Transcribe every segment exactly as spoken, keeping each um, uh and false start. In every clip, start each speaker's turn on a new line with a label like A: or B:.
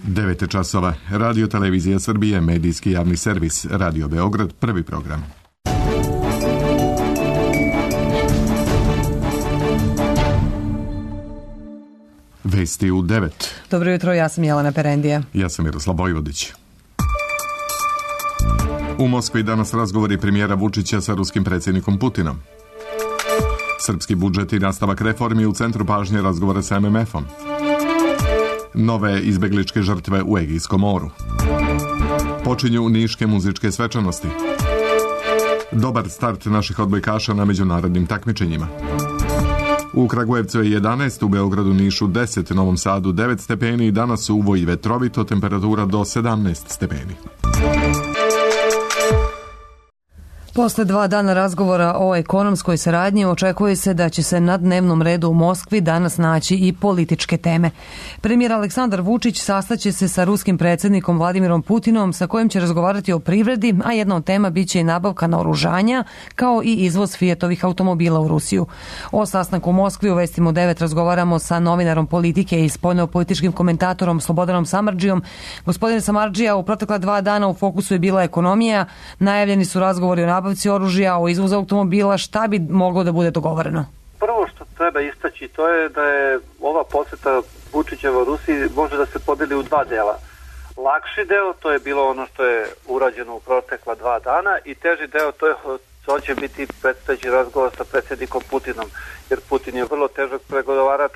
A: devet časova. Radio Televizija Srbije, medijski javni servis, Radio Beograd, prvi program. Vesti u devet.
B: Dobro jutro, ja sam Jelena Perendija.
A: Ja sam Miroslav Vojvodić. U Moskvi danas razgovori premijera Vučića sa ruskim predsjednikom Putinom. Srpski budžet i nastavak reformi u centru pažnje razgovora sa em em efom. Nove izbegličke žrtve u Egejskom moru. Počinju niške muzičke svečanosti. Dobar start naših odbojkaša na međunarodnim takmičenjima. U Kragujevcu je jedanaest, u Beogradu, Nišu deset, Novom Sadu devet stepeni i danas uvo i vetrovito, temperatura do sedamnaest stepeni.
B: Posle dva dana razgovora o ekonomskoj saradnji očekuje se da će se na dnevnom redu u Moskvi danas naći i političke teme. Premijer Aleksandar Vučić sastaće se sa ruskim predsjednikom Vladimirom Putinom sa kojim će razgovarati o privredi, a jedna od tema biće i nabavka naoružanja kao i izvoz Fiatovih automobila u Rusiju. O sastanku u Moskvi u Vestima u devet razgovaramo sa novinarom politike i spoljnopolitičkim komentatorom Slobodanom Samardžijom. Gospodine Samardžija, u protekla dva dana u fokusu je bila ekonomija, najavljeni su razgovori o nabavci oružja, o izvozu automobila. Šta bi moglo da bude dogovoreno?
C: Prvo što treba istaći to je da je ova posjeta Vučićeva Rusiji može da se podeli u dva dela. Lakši deo, to je bilo ono što je urađeno u protekla dva dana, i teži deo, to je to će biti predstojeći razgovor sa predsjednikom Putinom, jer Putin je vrlo težak pregovarač.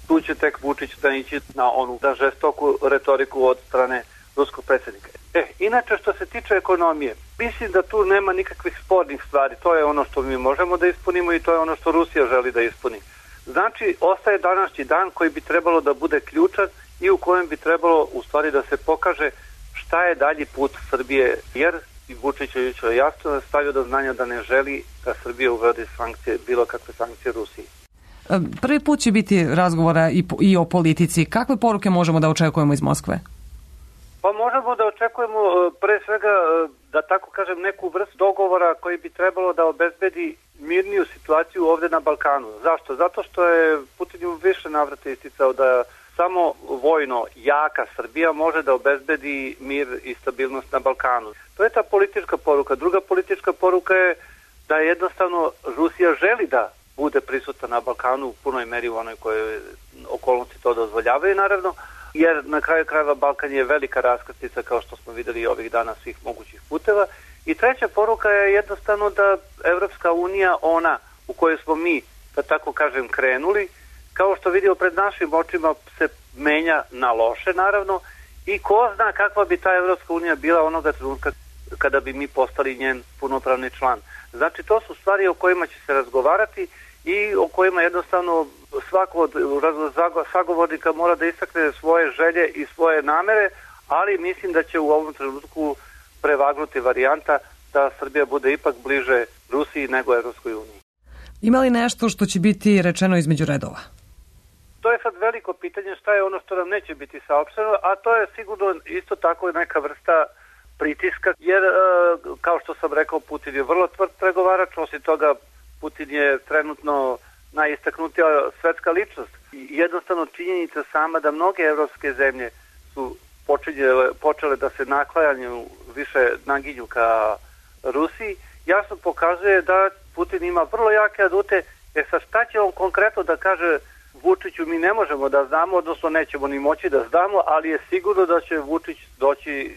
C: Tu će tek Vučić da ići na onu da žestoku retoriku od strane ruskog predsjednika. E, inače što se tiče ekonomije, mislim da tu nema nikakvih spornih stvari. To je ono što mi možemo da ispunimo i to je ono što Rusija želi da ispuni. Znači, ostaje današnji dan koji bi trebalo da bude ključan i u kojem bi trebalo u stvari da se pokaže šta je dalji put Srbije, jer i Vučić je jučer jasno stavio do znanja da ne želi da Srbija uvede sankcije, bilo kakve sankcije Rusiji.
B: Prvi put će biti razgovora i, i o politici. Kakve poruke možemo da očekujemo iz Moskve?
C: Pa možemo da očekujemo pre svega, da tako kažem, neku vrstu dogovora koji bi trebalo da obezbedi mirniju situaciju ovdje na Balkanu. Zašto? Zato što je Putin u više navrata isticao da samo vojno jaka Srbija može da obezbedi mir i stabilnost na Balkanu. To je ta politička poruka. Druga politička poruka je da jednostavno Rusija želi da bude prisutna na Balkanu u punoj meri u onoj kojoj okolnosti to dozvoljavaju, naravno, jer na kraju krajeva Balkan je velika raskrsnica, kao što smo vidjeli ovih dana, svih mogućih puteva. I treća poruka je jednostavno da Evropska unija, ona u kojoj smo mi, da tako kažem, krenuli, kao što vidimo pred našim očima, se menja na loše, naravno, i ko zna kakva bi ta Evropska unija bila onoga trenutka kada bi mi postali njen punopravni član. Znači, to su stvari o kojima će se razgovarati i o kojima jednostavno svako od sagovornika mora da istakne svoje želje i svoje namere, ali mislim da će u ovom trenutku prevagnuti varijanta da Srbija bude ipak bliže Rusiji nego Evropskoj uniji.
B: Ima li nešto što će biti rečeno između redova?
C: To je sad veliko pitanje, šta je ono što nam neće biti saopšteno, a to je sigurno isto tako neka vrsta pritiska, jer kao što sam rekao, Putin je vrlo tvrd pregovarač, osim toga Putin je trenutno najistaknutija svetska ličnost. I jednostavno činjenica sama da mnoge evropske zemlje su počinjele, počele da se naklanjaju, više naginju ka Rusiji, jasno pokazuje da Putin ima vrlo jake adute. E sad, šta će on konkretno da kaže Vučiću, mi ne možemo da znamo, odnosno nećemo ni moći da znamo, ali je sigurno da će Vučić doći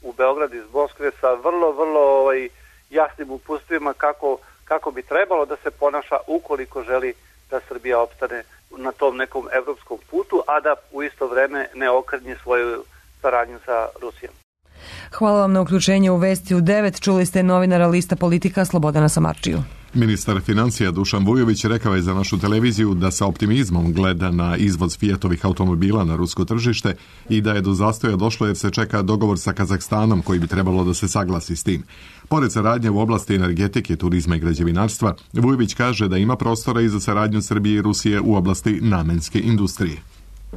C: u Beograd iz Moskve sa vrlo, vrlo ovaj, jasnim uputstvima kako kako bi trebalo da se ponaša ukoliko želi da Srbija opstane na tom nekom evropskom putu, a da u isto vreme ne okrnji svoju saradnju sa Rusijom.
B: Hvala vam na uključenje u Vesti u devet. Čuli ste novinara Lista Politika Slobodana Samardžiju.
A: Ministar financija Dušan Vujović rekao je za našu televiziju da sa optimizmom gleda na izvoz Fiatovih automobila na rusko tržište i da je do zastoja došlo jer se čeka dogovor sa Kazahstanom koji bi trebalo da se saglasi s tim. Pored saradnje u oblasti energetike, turizma i građevinarstva, Vujović kaže da ima prostora i za saradnju Srbije i Rusije u oblasti namenske industrije.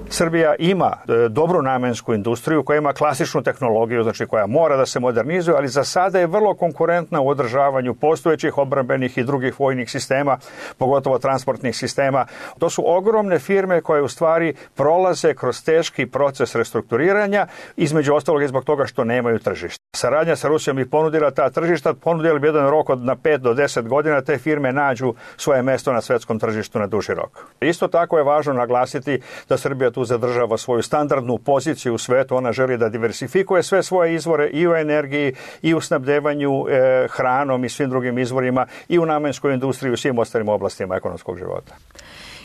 D: Srbija ima dobru namensku industriju koja ima klasičnu tehnologiju, znači koja mora da se modernizuje, ali za sada je vrlo konkurentna u održavanju postojećih odbrambenih i drugih vojnih sistema, pogotovo transportnih sistema. To su ogromne firme koje u stvari prolaze kroz teški proces restrukturiranja, između ostalog i zbog toga što nemaju tržišta. Saradnja sa Rusijom bi ponudila ta tržišta, ponudila bi jedan rok od na pet do deset godina, te firme nađu svoje mesto na svetskom tržištu na duži rok. Isto tako je važno naglasiti da Srbija tu zadržava svoju standardnu poziciju u svetu, ona želi da diversifikuje sve svoje izvore i u energiji i u snabdevanju e, hranom i svim drugim izvorima i u namenskoj industriji i u svim ostalim oblastima ekonomskog života.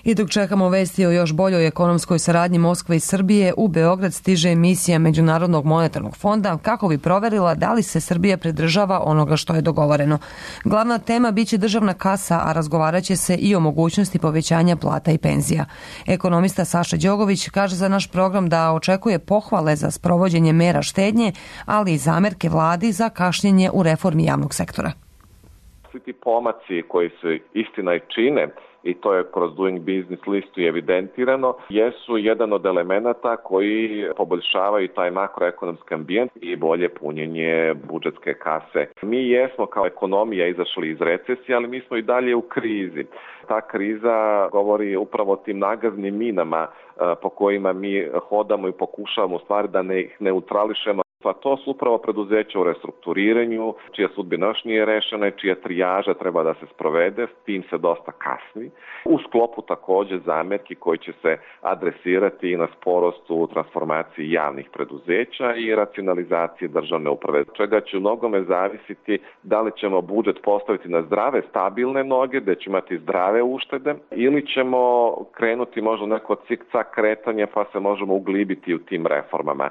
B: I dok čekamo vesti o još boljoj ekonomskoj saradnji Moskve i Srbije, u Beograd stiže emisija Međunarodnog monetarnog fonda kako bi proverila da li se Srbija pridržava onoga što je dogovoreno. Glavna tema biće državna kasa, a razgovarat će se i o mogućnosti povećanja plata i penzija. Ekonomista Saša Đogović kaže za naš program da očekuje pohvale za sprovođenje mera štednje, ali i zamerke vladi za kašnjenje u reformi javnog sektora.
E: Svi ti pomaci koji se istina i čine, i to je kroz Doing Business listu evidentirano, jesu jedan od elemenata koji poboljšavaju taj makroekonomski ambijent i bolje punjenje budžetske kase. Mi jesmo kao ekonomija izašli iz recesije, ali mi smo i dalje u krizi. Ta kriza govori upravo o tim nagaznim minama po kojima mi hodamo i pokušavamo u stvari da ne ih neutrališemo. Pa to su upravo preduzeća u restrukturiranju, čija sudbina još nije rešena i čija trijaža treba da se sprovede, s tim se dosta kasni. U sklopu takođe zamerki koji će se adresirati i na sporost u transformaciji javnih preduzeća i racionalizaciji državne uprave, čega će u mnogome zavisiti da li ćemo budžet postaviti na zdrave, stabilne noge, da ćemo imati zdrave uštede, ili ćemo krenuti možda neko cik-cak kretanje pa se možemo uglibiti u tim reformama.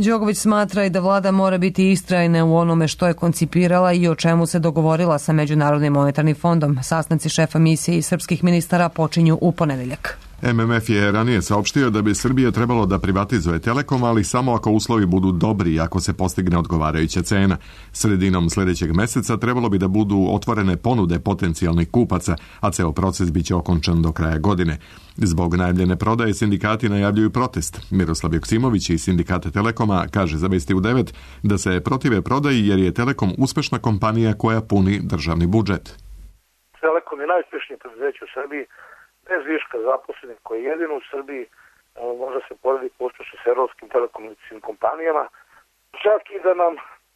B: Đogović smatra i da vlada mora biti istrajna u onome što je koncipirala i o čemu se dogovorila sa Međunarodnim monetarnim fondom. Sastanci šefa misije i srpskih ministara počinju u ponedeljak.
A: M M F je ranije saopštio da bi Srbija trebalo da privatizuje Telekom, ali samo ako uslovi budu dobri i ako se postigne odgovarajuća cena. Sredinom sljedećeg meseca trebalo bi da budu otvorene ponude potencijalnih kupaca, a ceo proces biće okončan do kraja godine. Zbog najavljene prodaje sindikati najavljuju protest. Miroslav Joksimović iz sindikata Telekoma kaže za Vesti u devet da se protive prodaji jer je Telekom uspešna kompanija koja puni državni budžet.
F: Telekom je najuspješnije preduzeće u Srbiji, bez viška zaposlenih, koji je jedino u Srbiji, može se porediti uspešno s evropskim telekomunikacijskim kompanijama. Čak i da nam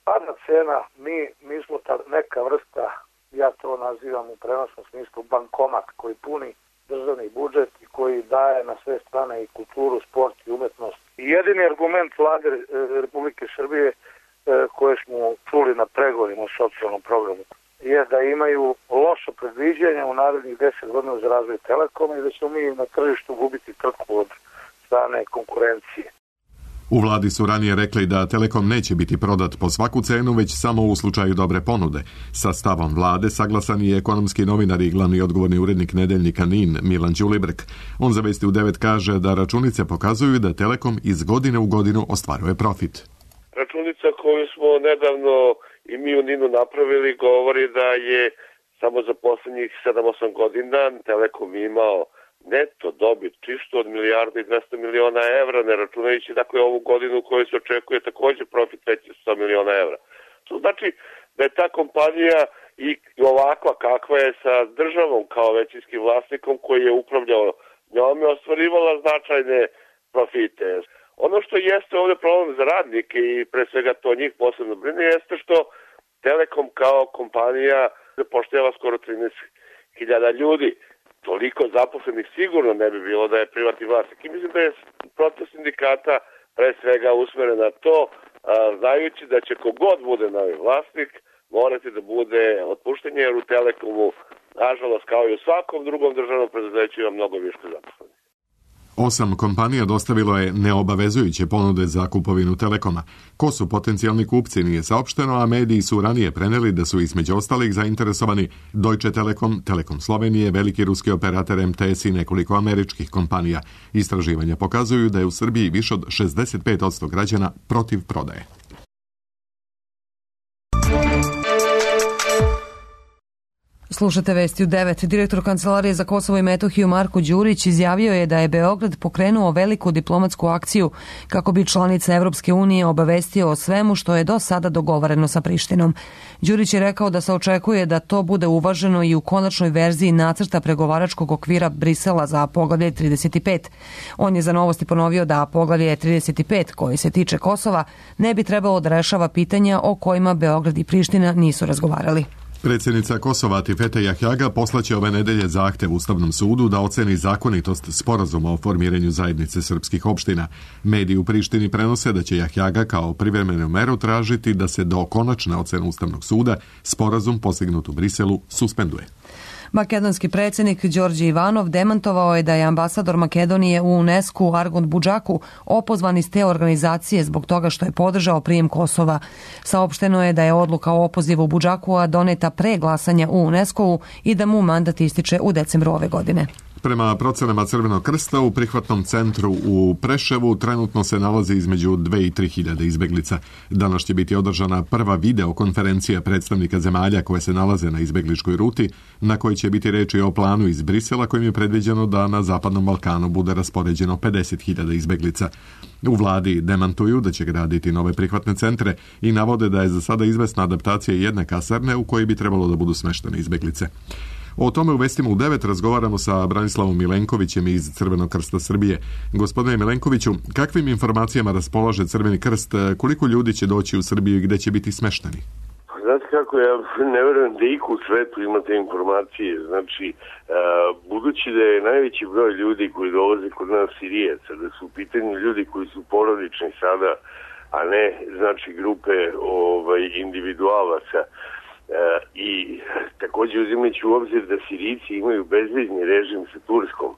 F: pada cena, mi, mi smo ta neka vrsta, ja to nazivam u prenosnom smislu, bankomat koji puni državni budžet i koji daje na sve strane i kulturu, sport i umetnost. I jedini argument vlade Republike Srbije koje smo čuli na pregovorima o socijalnom programu je da imaju loše predviđanja u narednih deset godina za razvoj Telekoma i da ćemo mi na tržištu gubiti trku od strane konkurencije.
A: U vladi su ranije rekli da Telekom neće biti prodat po svaku cenu, već samo u slučaju dobre ponude. Sa stavom vlade saglasan je ekonomski novinar i glavni odgovorni urednik nedeljnika N I N, Milan Ćulibrk. On za Vesti u devet kaže da računice pokazuju da Telekom iz godine u godinu ostvaruje profit.
G: Računica koju smo nedavno i mi u N I N-u napravili govori da je samo za poslednjih sedam osam godina Telekom imao neto dobit čisto od milijarda i dvesta miliona evra, ne računajući dakle ovu godinu u kojoj se očekuje takođe profit veći sto miliona evra. To znači da je ta kompanija i ovakva kakva je sa državom kao većinskim vlasnikom koji je upravljao njome ostvarivala značajne profite. Ono što jeste ovdje problem za radnike i pre svega to njih posebno brine jeste što Telekom kao kompanija zapošljava skoro trinaest hiljada ljudi. Toliko zaposlenih sigurno ne bi bilo da je privatni vlasnik. I mislim da je protest sindikata pre svega usmeren na to, a, znajući da će kogod bude novi vlasnik morati da bude otpuštenje, jer u Telekomu, nažalost, kao i u svakom drugom državnom preduzeću ima mnogo više zaposlenih.
A: Osam kompanija dostavilo je neobavezujuće ponude za kupovinu Telekoma. Ko su potencijalni kupci nije saopšteno, a mediji su ranije preneli da su između ostalih zainteresovani Deutsche Telekom, Telekom Slovenije, veliki ruski operator M T S i nekoliko američkih kompanija. Istraživanja pokazuju da je u Srbiji više od šezdeset pet posto građana protiv prodaje.
B: Slušate vesti u devet. Direktor Kancelarije za Kosovo i Metohiju Marko Đurić izjavio je da je Beograd pokrenuo veliku diplomatsku akciju kako bi članice Evropske unije obavestio o svemu što je do sada dogovoreno sa Prištinom. Đurić je rekao da se očekuje da to bude uvaženo i u konačnoj verziji nacrta pregovaračkog okvira Brisela za poglavlje trideset pet. On je za Novosti ponovio da poglavlje trideset pet, koji se tiče Kosova, ne bi trebalo da rešava pitanja o kojima Beograd i Priština nisu razgovarali.
A: Predsjednica Kosova Atifete Jahjaga poslaće ove nedelje zahtev Ustavnom sudu da oceni zakonitost sporazuma o formiranju zajednice srpskih opština. Mediji u Prištini prenose da će Jahjaga kao privremenu meru tražiti da se do konačne ocene Ustavnog suda sporazum postignut u Briselu suspenduje.
B: Makedonski predsjednik Đorđe Ivanov demantovao je da je ambasador Makedonije u UNESCO Argond Budžaku opozvan iz te organizacije zbog toga što je podržao prijem Kosova. Saopšteno je da je odluka o opozivu Budžakua doneta pre glasanja u UNESCO-u i da mu mandat ističe u decembru ove godine.
A: Prema procenama Crvenog krsta u prihvatnom centru u Preševu trenutno se nalazi između dve i tri hiljade izbeglica. Danas će biti održana prva videokonferencija predstavnika zemalja koje se nalaze na izbegličkoj ruti, na kojoj će biti reči o planu iz Brisela kojim je predviđeno da na Zapadnom Balkanu bude raspoređeno pedeset hiljada izbeglica. U vladi demantuju da će graditi nove prihvatne centre i navode da je za sada izvesna adaptacija jedne kasarne u kojoj bi trebalo da budu smeštene izbeglice. O tome u vestima u devet razgovaramo sa Branislavom Milenkovićem iz Crvenog krsta Srbije. Gospodine Milenkoviću, kakvim informacijama raspolaže Crveni krst, koliko ljudi će doći u Srbiju i gde će biti smešteni?
G: Znate kako, ja ne verujem da iko u svetu ima te informacije. Znači, budući da je najveći broj ljudi koji dolaze kod nas Sirijeca, da su u pitanju ljudi koji su porodični sada, a ne, znači, grupe ovaj, individualaca, i također uzimajući u obzir da Sirijci imaju bezvizni režim sa Turskom,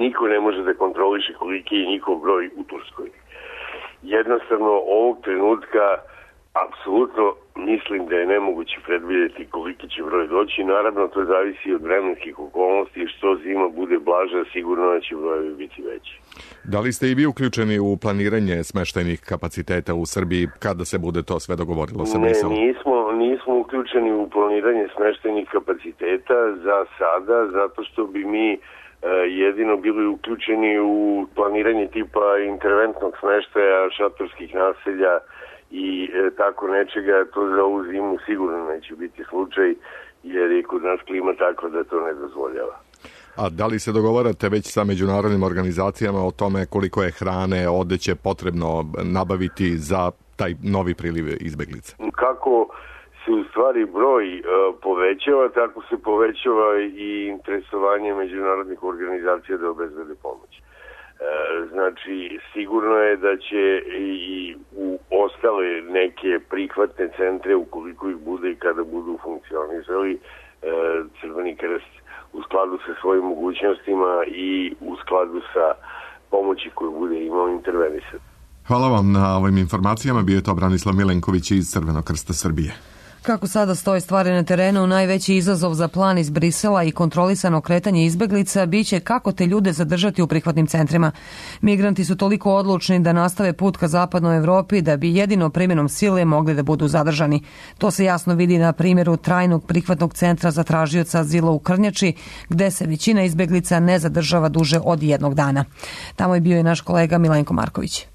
G: niko ne može da kontroliše koliki je njihov broj u Turskoj. Jednostavno ovog trenutka apsolutno mislim da je nemoguće predvidjeti koliki će broj doći. Naravno to zavisi od vremenskih okolnosti, što zima bude blaža, sigurno da će brojevi biti veći.
A: Da li ste i vi uključeni u planiranje smeštajnih kapaciteta u Srbiji kada se bude to sve dogovorilo sa Briselom?
G: Ne, nismo, nismo uključeni u planiranje smeštajnih kapaciteta za sada, zato što bi mi e, jedino bili uključeni u planiranje tipa interventnog smeštaja, šatorskih naselja i e, tako nečega. To za ovu zimu sigurno neće biti slučaj, jer je kod nas klima takva da to ne dozvoljava.
A: A da li se dogovarate već sa međunarodnim organizacijama o tome koliko je hrane, odeće potrebno nabaviti za taj novi priliv izbeglica?
G: Kako se u stvari broj e, povećava, tako se povećava i interesovanje međunarodnih organizacija da obezbede pomoć. E, znači, sigurno je da će i u ostale neke prihvatne centre, ukoliko ih bude i kada budu funkcionisali, e, Crveni krst u skladu sa svojim mogućnostima i u skladu sa pomoći koju bude imao intervenisati.
A: Hvala vam na ovim informacijama. Bio je to Branislav Milenković iz Crvenog krsta Srbije.
B: Kako sada stoje stvari na terenu, najveći izazov za plan iz Brisela i kontrolisano kretanje izbeglica biće kako te ljude zadržati u prihvatnim centrima. Migranti su toliko odlučni da nastave put ka zapadnoj Evropi da bi jedino primjenom sile mogli da budu zadržani. To se jasno vidi na primjeru trajnog prihvatnog centra za tražioca azila u Krnjači, gde se većina izbeglica ne zadržava duže od jednog dana. Tamo je bio i naš kolega Milenko Marković.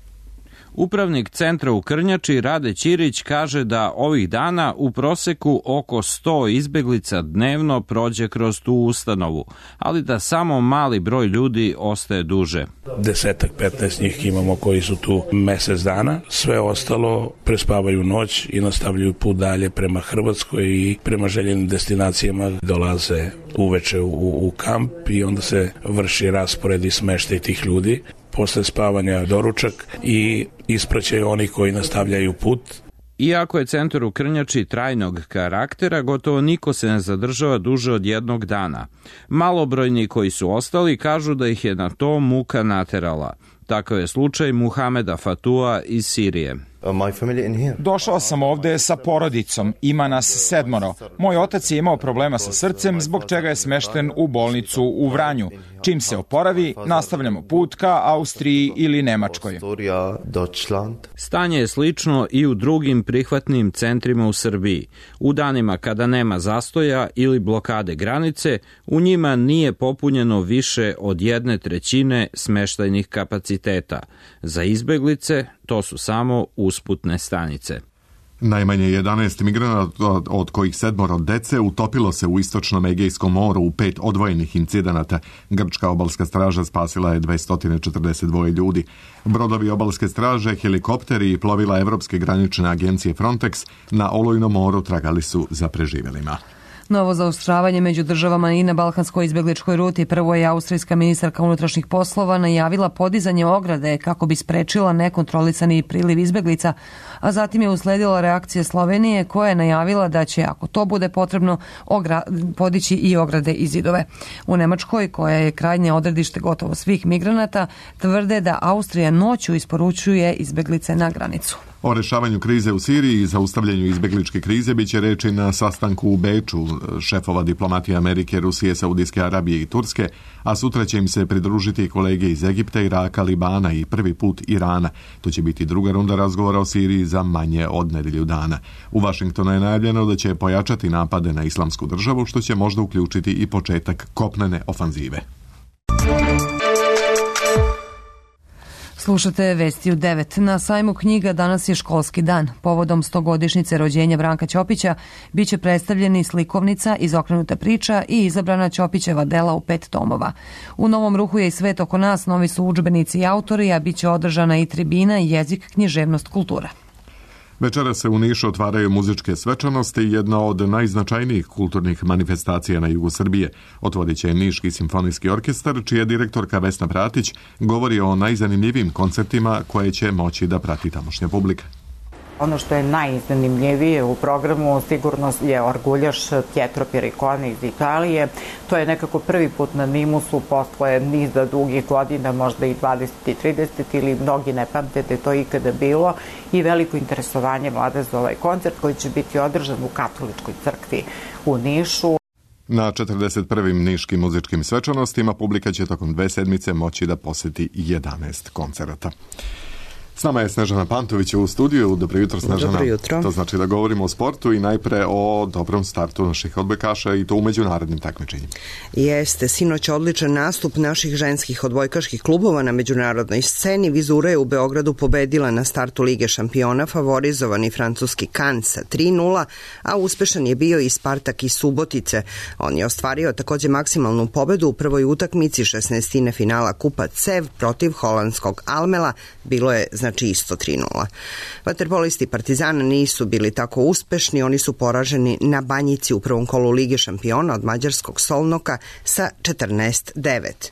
H: Upravnik centra u Krnjači Rade Ćirić kaže da ovih dana u proseku oko sto izbeglica dnevno prođe kroz tu ustanovu, ali da samo mali broj ljudi ostaje duže.
I: Desetak, petnaest njih imamo koji su tu mesec dana, sve ostalo prespavaju noć i nastavljaju put dalje prema Hrvatskoj i prema željenim destinacijama dolaze uveče u, u kamp i onda se vrši raspored i smeštaj tih ljudi. Posle spavanja doručak i ispraćaju oni koji nastavljaju put.
H: Iako je centar u Krnjači trajnog karaktera, gotovo niko se ne zadržava duže od jednog dana. Malobrojni koji su ostali kažu da ih je na to muka naterala. Takav je slučaj Muhameda Fatua iz Sirije.
J: Došao sam ovde sa porodicom, ima nas sedmoro. Moj otac je imao problema sa srcem, zbog čega je smešten u bolnicu u Vranju. Čim se oporavi, nastavljamo put ka Austriji ili Nemačkoj.
H: Stanje je slično i u drugim prihvatnim centrima u Srbiji. U danima kada nema zastoja ili blokade granice, u njima nije popunjeno više od jedne trećine smeštajnih kapaciteta. Za izbeglice to su samo usputne stanice.
A: Najmanje jedanaest migranata, od kojih sedmoro dece, utopilo se u istočnom Egejskom moru u pet odvojenih incidenata. Grčka obalska straža spasila je dvesta četrdeset dva ljudi. Brodovi obalske straže, helikopteri i plovila Evropske granične agencije Frontex na Olujnom moru tragali su za preživjelima.
B: Novo zaoštravanje među državama i na balkanskoj izbegličkoj ruti. Prvo je austrijska ministarka unutrašnjih poslova najavila podizanje ograde kako bi sprečila nekontrolisani priliv izbeglica, a zatim je usledila reakcija Slovenije koja je najavila da će, ako to bude potrebno, ogra- podići i ograde i zidove. U Nemačkoj, koja je krajnje odredište gotovo svih migranata, tvrde da Austrija noću isporučuje izbeglice na granicu.
A: O rešavanju krize u Siriji i zaustavljanju izbegličke krize biće reči na sastanku u Beču šefova diplomatije Amerike, Rusije, Saudijske Arabije i Turske, a sutra će im se pridružiti kolege iz Egipta, Iraka, Libana i prvi put Irana. To će biti druga runda razgovora o Siriji za manje od nedelju dana. U Vašingtonu je najavljeno da će pojačati napade na islamsku državu, što će možda uključiti i početak kopnene ofanzive.
B: Slušate vesti u devet. Na sajmu knjiga danas je školski dan. Povodom stogodišnjice rođenja Branka Ćopića biće predstavljeni slikovnica, izokrenuta priča i izabrana Ćopićeva dela u pet tomova. U Novom ruhu je i svet oko nas, novi su udžbenici i autori, a biće održana i tribina jezik, književnost, kultura.
A: Večera se u Nišu otvaraju muzičke svečanosti, jedna od najznačajnijih kulturnih manifestacija na jugu Srbije. Otvorit će Niški simfonijski orkestar, čija direktorka Vesna Pratić govori o najzanimljivijim koncertima koje će moći da prati tamošnja publika.
K: Ono što je najzanimljivije u programu sigurno je orguljaš Pietro Pericone iz Italije. To je nekako prvi put na Nimusu posle niza dugih godina, možda i dvadeset i trideset ili mnogi ne pamte da je to ikada bilo, i veliko interesovanje vlade za ovaj koncert koji će biti održan u Katoličkoj crkvi u Nišu.
A: Na četrdeset prvim niškim muzičkim svečanostima publika će tokom dve sedmice moći da poseti jedanaest koncerata. S nama je Snežana Pantović u studiju. Dobro jutro, Snežana.
L: Dobro jutro.
A: To znači da govorimo o sportu i najpre o dobrom startu naših odbojkaša i to u međunarodnim takmičenjima.
L: Jeste, sinoć odličan nastup naših ženskih odbojkaških klubova na međunarodnoj sceni. Vizura je u Beogradu pobedila na startu Lige šampiona favorizovani francuski Cannes sa tri nula, a uspešan je bio i Spartak iz Subotice. On je ostvario takođe maksimalnu pobedu u prvoj utakmici šesnaestine finala Kupa Cev protiv holandskog Almela. Bilo je znači isto tri nula. Vaterpolisti Partizana nisu bili tako uspešni, oni su poraženi na Banjici u prvom kolu Lige šampiona od mađarskog Solnoka sa četrnaest devet.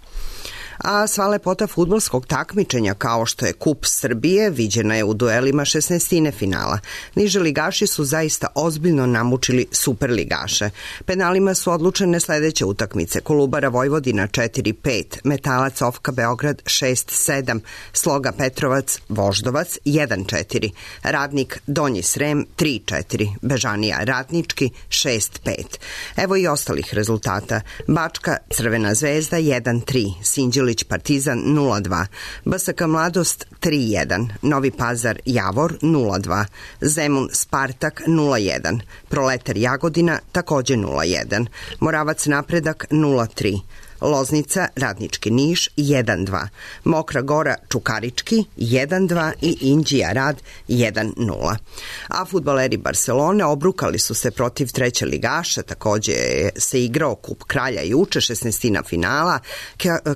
L: A sva lepota fudbalskog takmičenja kao što je Kup Srbije viđena je u duelima šesnaestine finala. Niže ligaši su zaista ozbiljno namučili superligaše. Penalima su odlučene sledeće utakmice: Kolubara Vojvodina četiri pet, Metalac Ofka Beograd šest sedam, Sloga Petrovac Voždovac jedan četiri, Radnik Donji Srem tri četiri, Bežanija Ratnički šest pet. Evo i ostalih rezultata: Bačka Crvena zvezda jedan tri, Sinđeli Partizan nula dva, B S K Mladost tri jedan, Novi Pazar Javor nula dva, Zemun Spartak nula jedan, Proletar Jagodina takođe nula jedan, Moravac Napredak nula tri, Loznica Radnički Niš jedan dva, Mokra Gora Čukarički jedan dva i Inđija Rad jedan nula. A fudbaleri Barcelone obrukali su se protiv treće ligaša, takođe se igrao Kup Kralja juče, šesnaestina finala.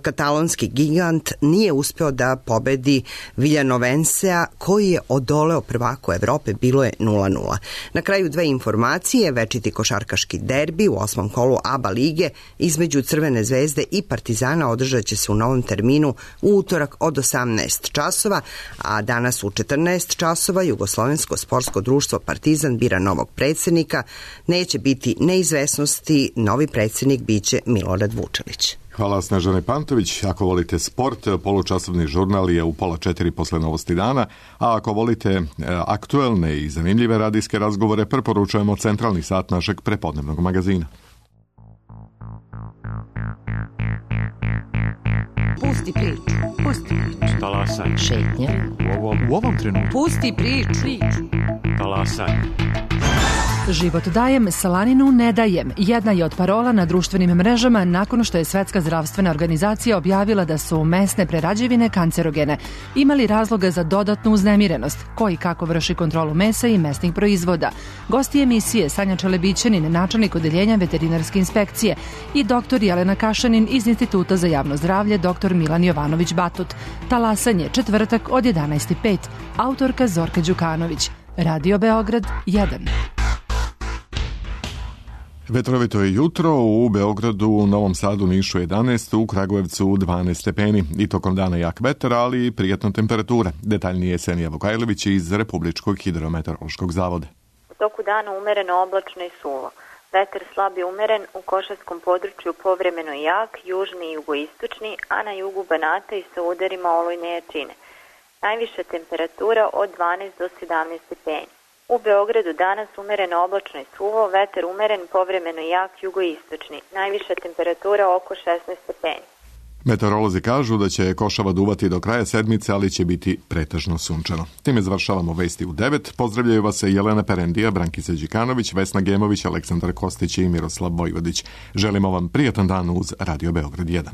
L: Katalonski gigant nije uspeo da pobedi Viljanovensea koji je odoleo prvaku Evrope, bilo je nula nula. Na kraju dve informacije: večiti košarkaški derbi u osmom kolu A B A lige između Crvene zvezde Zvezde i Partizana održat će se u novom terminu u utorak od osamnaest časova, a danas u četrnaest časova Jugoslovensko sportsko društvo Partizan bira novog predsjednika. Neće biti neizvesnosti, novi predsjednik biće Milorad Vučelić.
A: Hvala Snežane Pantović. Ako volite sport, polučasovni žurnal je u pola četiri posle Novosti dana, a ako volite aktuelne i zanimljive radijske razgovore, preporučujemo centralni sat našeg prepodnevnog magazina.
M: Pusti priču, pusti priču.
N: Talasaj.
M: Šetnja.
N: U ovom, u ovom trenutku.
M: Pusti priču.
N: Talasaj.
O: Život dajem, slaninu ne dajem. Jedna je od parola na društvenim mrežama nakon što je Svetska zdravstvena organizacija objavila da su mesne prerađevine kancerogene. Imali razloga za dodatnu uznemirenost? Ko i kako vrši kontrolu mesa i mesnih proizvoda? Gosti emisije Sanja Čelebićanin, načelnik odeljenja veterinarske inspekcije, i doktor Jelena Kašanin iz Instituta za javno zdravlje, doktor Milan Jovanović Batut. Talasanje, četvrtak od jedanaest i pet. Autorka Zorka Đukanović. Radio Beograd jedan.
A: Vetrovito je jutro, u Beogradu, u Novom Sadu, Nišu jedanaest, u Kragujevcu dvanaest stepeni i tokom dana jak vetar, ali i prijatna temperatura. Detaljnije Senija Vukajlović iz Republičkog hidrometeorološkog zavoda.
P: U toku dana umereno oblačno i suvo. Vetar slab je umeren, u Košarskom području povremeno jak, južni i jugoistočni, a na jugu Banata i sa udarima olujne jačine. Najviša temperatura od dvanaest do sedamnaest stepeni. U Beogradu danas umereno oblačno i suvo, vetar umeren, povremeno jak, jugoistočni. Najviša temperatura oko šesnaest stepeni.
A: Meteorolozi kažu da će košava duvati do kraja sedmice, ali će biti pretežno sunčano. Time završavamo vesti u devet. Pozdravljaju vas Jelena Perendija, Brankica Đikanović, Vesna Gemović, Aleksandar Kostić i Miroslav Vojvodić. Želimo vam prijatan dan uz Radio Beograd jedan.